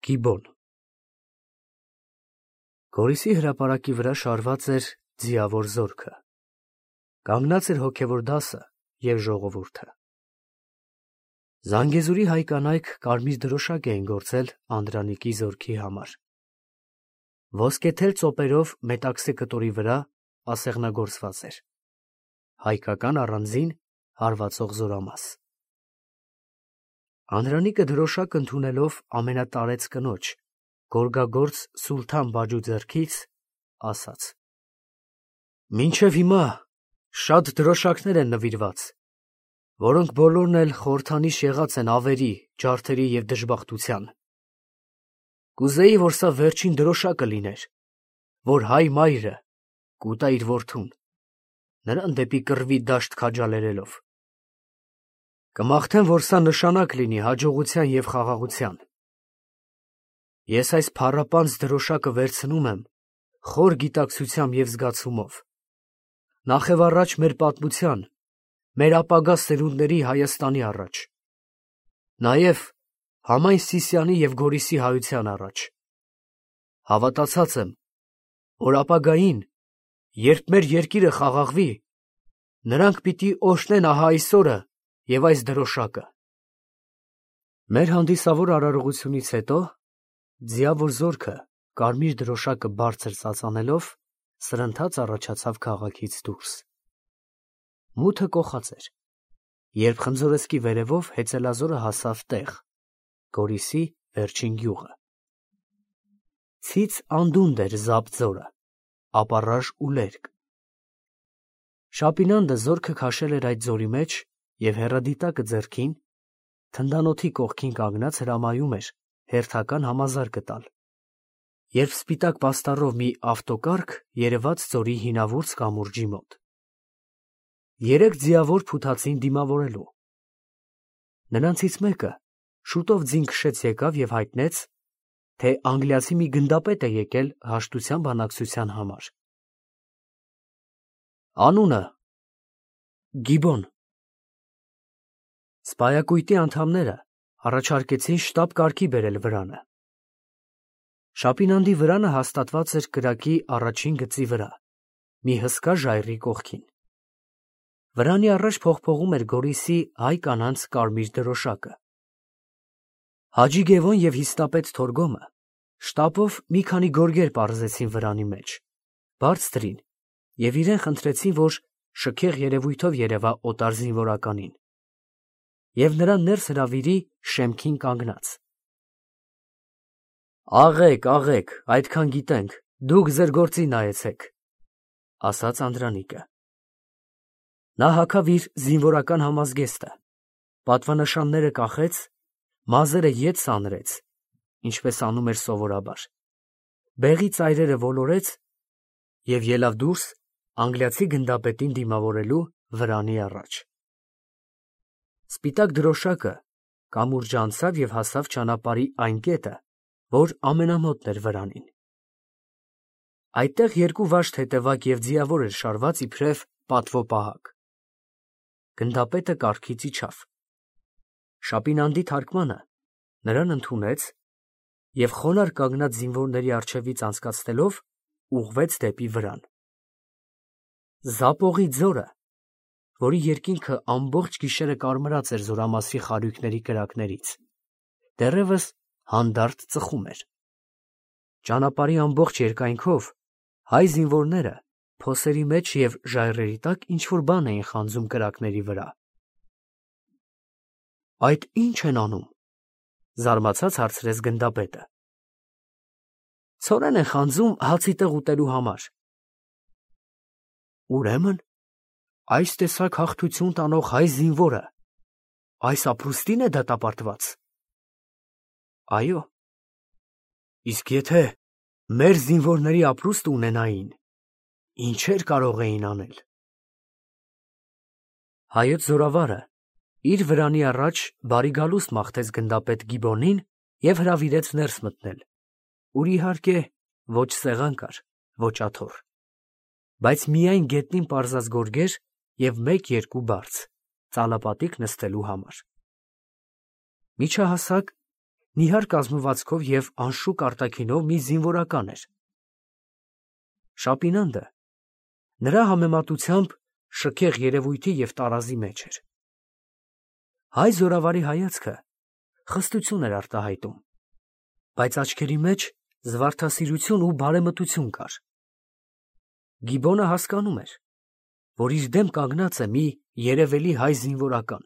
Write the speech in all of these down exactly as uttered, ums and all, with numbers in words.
Գիբոն Գորիսի հրապարակի վրա շարված էր ձիավոր զորքը, կանգնած էր հոգևոր դասը և ժողովուրդը։ Զանգեզուրի հայ կանայք կարմիր դրոշակ էին գործել Անդրանիկի զորքի համար։ Ոսկեթել ծոպերով մետաքսե կտորի վրա ասեղնագործված էր հայկական առանձին հարվածող զորամաս։ Անդրանիկը դրոշակ ընդունելով ամենատարեց կնոջ, գորգագործ Սուլթան Բաջու ձեռքից, ասաց. «Մինչև հիմա շատ դրոշակներ են նվիրված, որոնք բոլորն էլ խորհրդանիշ եղած են ավերի, ջարդերի և դժբախտության։ Կուզեի, որ սա վերջին դրոշակը լիներ, որ հայ մայրը կուտա իր որդուն, նրան դեպի կռվի դաշտ քաջալերելով։ Կմաղթեմ, որ սա նշանակ լինի հաջողության և խաղաղության։ Ես այս փառապանծ դրոշակը վերցնում եմ խոր գիտակցությամբ և զգացումով, նախևառաջ մեր պատմության, մեր ապագա սերունդների Հայաստանի առաջ, նաև համայն Սիսիանի և Գորիսի հայության առաջ։ Հավատացած եմ, որ ապագային, երբ մեր երկիրը խաղաղվի, նրանք պիտի օրհնեն ահա այս օրը և այս դրոշակը»։ Մեր հանդիսավոր արարողությունից հետո ձիավոր զորքը, կարմիր դրոշակը բարձր ծածանելով, սրընթաց առաջացավ քաղաքից դուրս։ Մութը կոխած էր, երբ Խնձորեսկի վերևով հեծելազորը հասավ տեղ, Գորիսի վերջին գյուղը։ Ցից անդունդ էր զապ ձորը, ապառաժ ու լերկ։ Շապինանդը զորքը քաշել էր այդ ձորի մեջ և հեռադիտակը ձեռքին, թնդանոթի կողքին կանգնած հրամայում էր հերթական համազարգը տալ, երբ սպիտակ պաստառով մի ավտոկառք երևաց ձորի հինավուրց կամուրջի մոտ։ Երեք ձիավոր փութացին դիմավորելու։ Նրանցից մեկը շուտով ձին քշեց եկավ և հայտնեց, թե անգլիացի մի գնդապետ է եկել հաշտության բանակցության համար։ Անունը՝ Գիբոն։ Սպայակույտի անդամները առաջարկեցին շտապ կարգի բերել վրանը։ Շապինանդի վրանը հաստատված էր կրակի առաջին գծի վրա, մի հսկա ժայռի կողքին։ Վրանի առաջ փողփողում էր Գորիսի հայ կանանց կարմիր դրոշակը։ Հաջի Գևոն և հիստապետ Թորգոմը շտապով մի քանի գորգեր պարզեցին վրանի մեջ, բարձրին, և իրեն խնդրեցին, որ շքեղ երևույթով երևա օտար զինվորականին և նրան ներս հրավիրի շեմքին կանգնած։ «Աղեք, աղեք, այդքան գիտենք, դուք ձեր գործին նայեցեք», ֊ ասաց Անդրանիկը։ Նա հագավ իր զինվորական համազգեստը, պատվանշանները կախեց, մազերը ետ սանրեց, ինչպես անում էր սովորաբար, բեղի ծայրերը ոլորեց և ելավ դուրս անգլիացի գնդապետին դիմավորելու վրանի առաջ։ Սպիտակ դրոշակը կամուրջը անցավ և հասավ ճանապարհի այն կետը, որ ամենամոտն էր վրանին։ Այդտեղ երկու վաշտ հետևակ և ձիավոր էր շարված իբրև պատվո պահակ։ Գնդապետը կառքից իջավ։ Շապինանդի թարկմանը նրան ընդունեց և խոնարհ կանգնած զինվորների առջևից անցկացնելով ուղղվեց դեպի վրան։ Զապողի ձորը, որի երկինքը ամբողջ գիշերը կարմրած էր զորամասի խարույկների կրակներից, դեռևս հանդարտ ծխում էր։ Ճանապարհի ամբողջ երկայնքով հայ զինվորները փոսերի մեջ և ժայռերի տակ ինչ֊որ բան էին խանձում կրակների վրա։ «Այդ ի՞նչ են անում», ֊ զարմացած հարցրեց գնդապետը։ «Ցորեն են խանձում հացի տեղ ուտելու համար»։ «Ուրեմն այս տեսակ հաղթություն տանող հայ զինվորը այս ապրուստի՞ն է դատապարտված»։ «Այո»։ «Իսկ եթե մեր զինվորների ապրուստը ունենային, ինչեր կարող էին անել»։ Հայոց զորավարը իր վրանի առաջ բարի գալուստ մաղթեց գնդապետ Գիբոնին և հրավիրեց ներս մտնել, ուր, իհարկե, ոչ սեղան կար, ոչ աթոռ, բայց միայն գետնին պարզած գորգեր և մեկ֊երկու բարձ՝ ծալապատիկ նստելու համար։ Միջահասակ, նիհար կազմվածքով և անշուք արտաքինով մի զինվորական էր։ Շապինանդը նրա համեմատությամբ շքեղ երևույթի և տարազի մեջ էր։ Հայ զորավարի հայացքը խստություն էր արտահայտում, բայց աչքերի մեջ զվարթասիրություն ու բարեմտություն կար։ Գիբոնը հասկանում էր, որ իր դեմ կանգնած է մի երևելի հայ զինվորական,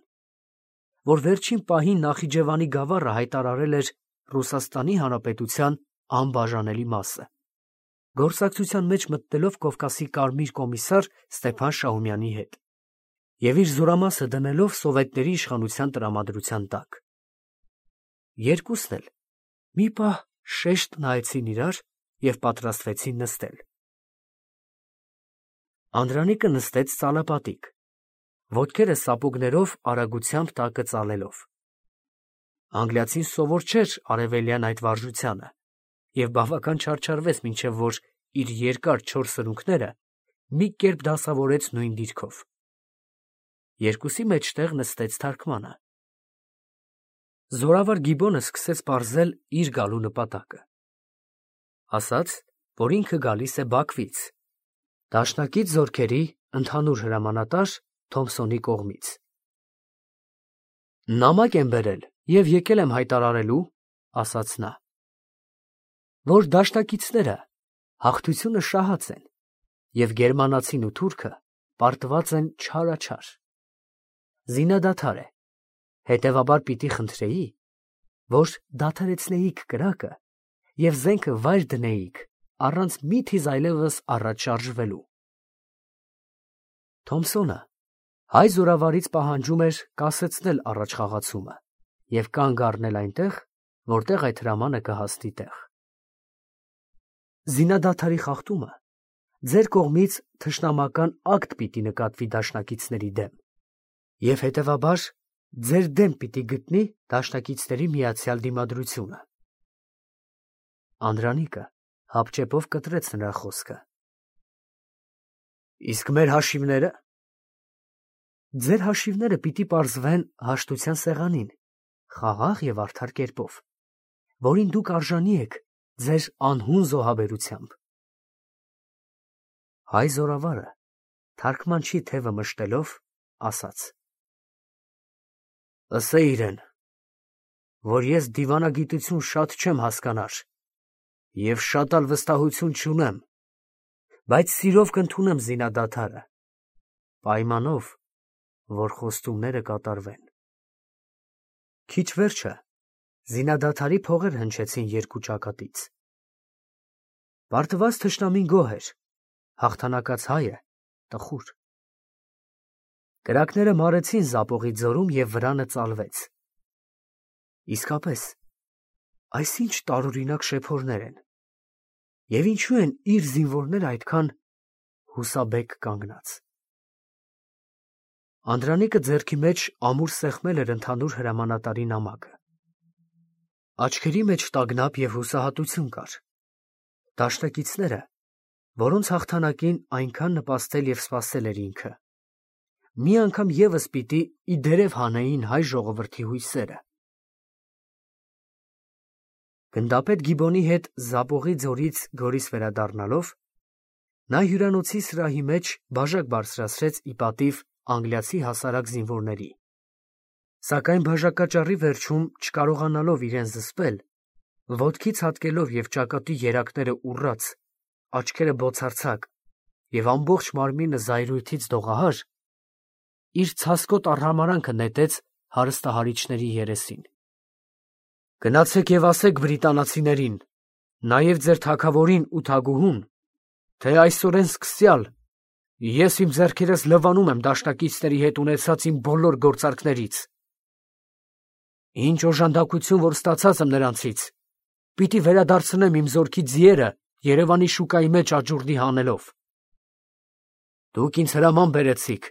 որ վերջին պահին Նախիջևանի գավառը հայտարարել էր Ռուսաստանի Հանրապետության անբաժանելի մասը, գործակցության մեջ մտնելով Կովկասի կարմիր կոմիսար Ստեփան Շահումյանի հետ և իր զորամասը դնելով սովետների իշխանության տրամադրության տակ։ Երկուսն էլ մի պահ շեշտ նայեցին իրար և պատրաստվեցին նստել։ Անդրանիկը նստեց ծալապատիկ, ոտքերը սապոգներով արագությամբ տակը ծալելով։ Անգլիացին սովոր չէր արևելյան այդ վարժությանը և բավական չարչարվեց, մինչև որ իր երկար չոր սրունքները մի կերպ դասավորեց նույն դիրքով։ Երկուսի մեջտեղ նստեց թարգմանը։ Զորավար Գիբոնը սկսեց պարզել իր գալու նպատակը։ Ասաց, որ ինքը գալիս է Բաքվից, դաշնակից զորքերի ընդհանուր հրամանատար Թոմսոնի կողմից։ Նամակ եմ բերել և եկել եմ հայտարարելու, ասաց նա, որ դաշնակիցները հաղթությունը շահած են և գերմանացին ու թուրքը պարտված են չարաչար։ Զինադադար է, հետևաբար պիտի խնդրեի, որ դադարեցնեիք կրակը և զենքը վայր դնեիք առանց մի թիզ այլևս առաջ շարժվելու։ Թոմսոնը հայ զորավարից պահանջում էր կասեցնել առաջխաղացումը և կանգ առնել այնտեղ, որտեղ այդ հրամանը կհասնի տեղ։ Զինադադարի խախտումը ձեր կողմից թշնամական ակտ պիտի նկատվի դաշնակիցների դեմ և հետևաբար ձեր դեմ պիտի գտնի դաշնակիցների միացյալ դիմադրությունը։ Անդրանիկը հապճեպով կտրեց նրա խոսքը։ Իսկ մեր հաշիվնե՞րը։ Ձեր հաշիվները պիտի պարզվեն հաշտության սեղանին, խաղաղ և արդար կերպով, որին դուք արժանի եք ձեր անհուն զոհաբերությամբ։ Հայ զորավարը թարգմանչի թևը մշտելով ասաց. Ըսե իրեն, որ ես դիվանագիտություն շատ չեմ հասկանար և շատ ալ վստահություն չունեմ, բայց սիրով կընդունեմ զինադադարը, պայմանով, որ խոստումները կատարվեն։ Քիչ վերջը զինադադարի փողեր հնչեցին երկու ճակատից։ Պարտված թշնամին գոհ էր, հաղթանակած հայը տխուր։ Կրակները մարեցին Զապողի ձորում և վրանը ծալվեց։ Իսկապես, այս ինչ տարօրինակ շեփորներ են, և ինչու են իր զինվորները այդքան հուսաբեկ կանգնած։ Անդրանիկը ձեռքի մեջ ամուր սեղմել էր ընդհանուր հրամանատարի նամակը։ Աչքերի մեջ տագնապ և հուսահատություն կար։ Դաշնակիցները, որոնց հաղթանակին այնքան նպաստել և սպասել էր ինքը, մի անգամ ևս պիտի ի դերև հանեին հայ ժողովրդի հույսերը։ Գնդապետ Գիբոնի հետ Զապողի ձորից Գորիս վերադառնալով, նա հյուրանոցի սրահի մեջ բաժակ բարձրացրեց ի պատիվ անգլիացի հասարակ զինվորների, սակայն բաժակաճառի վերջում, չկարողանալով իրեն զսպել, ոտքից հատկելով և ճակատի երակները ուռած, աչքերը բոցարձակ և ամբողջ մարմինը զայրույթից դողահար, իր ցասկոտ արհամարհանքը նետեց հարստահարիչների երեսին։ Գնացեք և ասեք բրիտանացիներին, նաև ձեր թագավորին ու թագուհուն, թե այսօրեն սկսյալ ես իմ ձեռքերս լվանում եմ դաշնակիցների հետ ունեցած իմ բոլոր գործարքներից։ Ինչ օժանդակություն որ ստացած եմ նրանցից, պիտի վերադարձնեմ իմ զորքի ձիերը Երևանի շուկայի մեջ աճուրդի հանելով։ Դուք ինձ հրաման բերեցիք,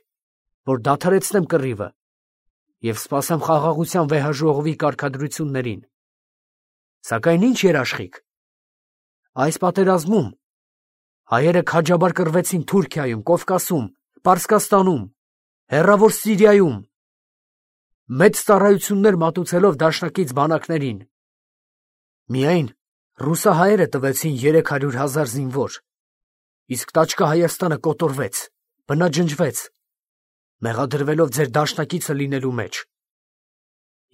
որ դադարեցնեմ կռիվը և սպասեմ խաղաղության վեհաժողովի կարգադրություններին, սակայն ի՞նչ երաշխիք։ Այս պատերազմում հայերը քաջաբար կռվեցին Թուրքիայում, Կովկասում, Պարսկաստանում, հեռավոր Սիրիայում, մեծ ծառայություններ մատուցելով դաշնակից բանակներին, Միայն ռուսահայերը տվեցին երեք հարյուր հազար զինվոր, իսկ տաճկա Հայաստանը կոտորվեց, բնաջնջվեց, մեղադրվելով ձեր դաշնակիցը լինելու մեջ։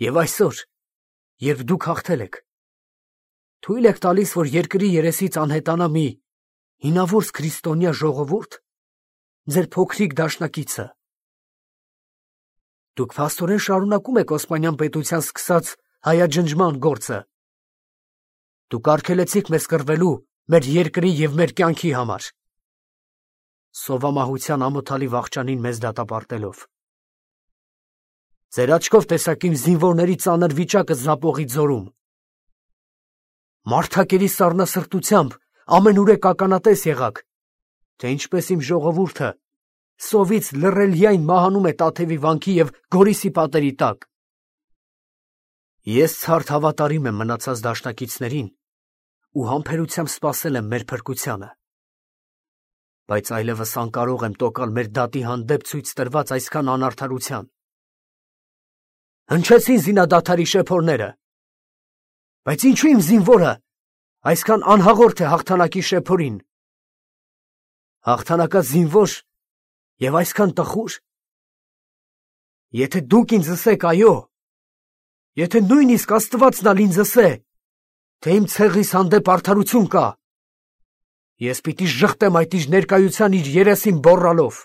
Եվ այսօր, երբ դուք հաղթել եք, թույլ եք տալիս, որ երկրի երեսից անհետանա մի հինավուրց քրիստոնյա ժողովուրդ, ձեր փոքրիկ դաշնակիցը։ Դուք փաստորեն շարունակում եք Օսմանյան պետության սկսած հայաջնջման գործը։ Դուք արգելեցիք մեզ կռվելու մեր երկրի և մեր կյանքի համար, սովամահության ամոթալի վախճանին մեզ դատապարտելով։ Ձեր աչքով տեսաք իմ զինվորների ծանր վիճակը Զապողի ձորում։ Մարդակերի սառնասրտությամբ ամենուրեք ականատես եղաք, թե ինչպես իմ ժողովուրդը սովից լռելյայն մահանում է Տաթևի վանքի և Գորիսի պատերի տակ։ Ես ցարդ հավատարիմ եմ մնացած դաշնակիցներին ու համբերությամբ սպասել եմ մեր փրկությանը, բայց այլևս անկարող եմ տոկալ մեր դատի հանդեպ ցույց տրված այսքան անարդարության։ Հնչեցին զինադադարի շեփորները, բայց ինչու իմ զինվորը այսքան անհաղորդ է հաղթանակի շեփորին։ Հաղթանակած զինվոր և այսքան տխուր։ Եթե դուք ինձ ասեք այո, եթե նույնիսկ Աստվածն ալ ինձ ասե, թե իմ ցեղիս հանդեպ արդարություն կա, ես պիտի ժխտեմ այդ իր ներկայության իր երեսին բոռալով։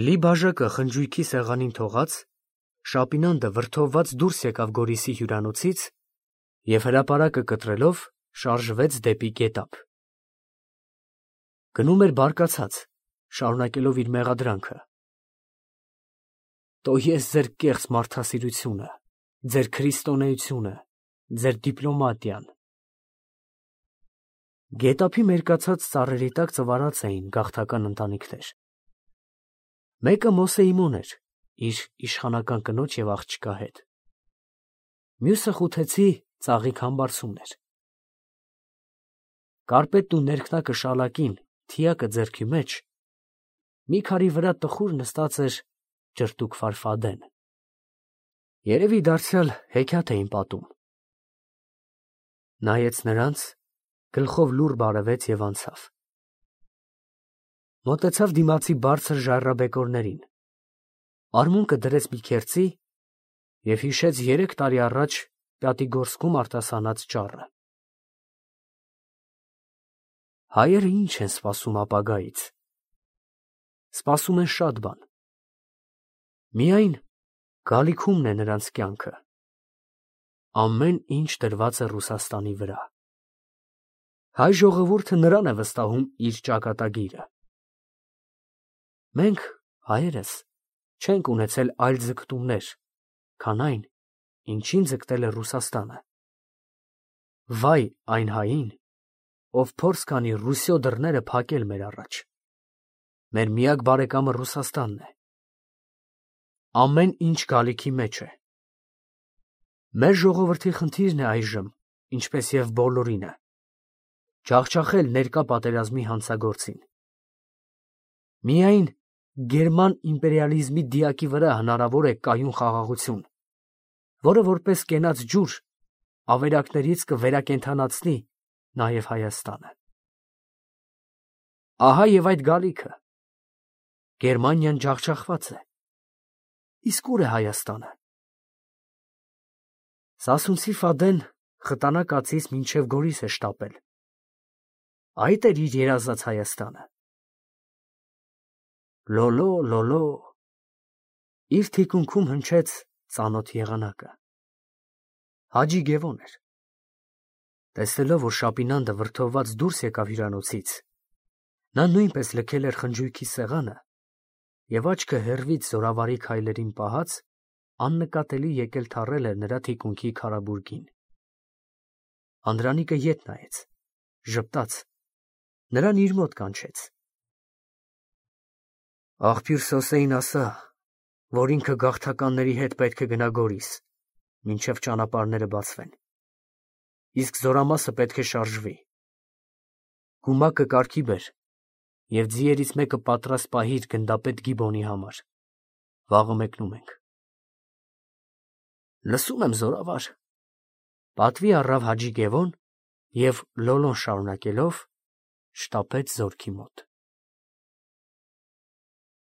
Լի բաժակը խնջույքի սեղանին թողած, Շապինանդը վրդովված դուրս եկավ Գորիսի հյուրանոցից և հրապարակը կտրելով շարժվեց դեպի գետափ։ Գնում էր բարկացած, շարունակելով իր մեղադրանքը. «Տո ես ձեր կեղծ մարդասիրությունը, ձեր քրիստոնեությունը, ձեր դիպլոմատիան»։ Գետափի մերկացած ծառերի տակ ծվարած էին գաղթական ընտանիքներ։ Մեկը Մոսեիմոն էր, իր իշխանական կնոջ և աղջկա հետ։ Մյուսը Խութեցի ծաղիկ համբարձումն էր։ Կարպետն ու ներքնակը շալակին, թիակը ձեռքի մեջ, մի քարի վրա տխուր նստած էր ճրտուկ Ֆարֆադեն։ Երևի դարձյալ հեքիաթ էին պատում։ Նայեց նրանց, գլխով լուռ բարևեց և անցավ։ Մոտեցավ դիմացի բարձր ժայռաբեկորներին, արմունկը դրեց մի քերծի և հիշեց երեք տարի առաջ Պյատիգորսկում արտասանած ճառը։ Հայերը ինչ են սպասում ապագայից։ Սպասում են շատ բան։ Միայն գալիքումն է նրանց կյանքը։ Ամեն ինչ դրված է Ռուսաստանի վրա։ Հայ ժողովուրդը նրան է վստահում իր ճակատագիրը։ Մենք, հայերս, չենք ունեցել այլ ձգտումներ, քան այն, ինչին ձգտել է Ռուսաստանը։ Վայ այն հային, ով փորձ կանի Ռուսիո դռները փակել մեր առաջ։ Մեր միակ բարեկամը Ռուսաստանն է։ Ամեն ինչ գալիքի մեջ է։ Մեր ժողովրդի խնդիրն է այժմ, ինչպես և բոլորինը, ջախջախել ներկա պատերազմի հանցագործին։ Միայն գերման իմպերիալիզմի դիակի վրա հնարավոր է կայուն խաղաղություն, որը որպես կենաց ջուր ավերակներից կվերակենդանացնի նաև Հայաստանը։ Ահա և այդ գալիքը։ Գերմանիան ջախջախված է։ Իսկ ուր է Հայաստանը։ Սասունցի Ֆադեն խտանա կացից մինչև Գորիս է շտապել։ Այդ էր իր երազած Հայաստանը։ Լոլո, լոլո։ Իր թիկունքում հնչեց ծանոթ եղանակը։ Հաջի Գևոն էր։ Տեսնելով, որ Շապինանդը վրդովված դուրս եկավ հյուրանոցից, նա նույնպես լքել էր խնջույքի սեղանը և աչքը հեռվից զորավարի քայլերին պահած, աննկատելի եկել թռել էր նրա թիկունքի քարաբուրգին։ Անդրանիկը ետ նայեց, ժպտաց, նրան իր մոտ կանչեց։ Աղբյուր Սոսեին ասա, որ ինքը գաղթականների հետ պետք է գնա Գորիս, մինչև ճանապարհները բացվեն, իսկ զորամասը պետք է շարժվի։ Գումակը կարգի բեր և ձիերից մեկը պատրաստ պահիր գնդապետ Գիբոնի համար, վաղը մեկնում ենք։ Լսում եմ, զորավար, Պատվի առավ Հաջի Գևոն և լոլոն շարունակելով շտապեց զորքի մոտ։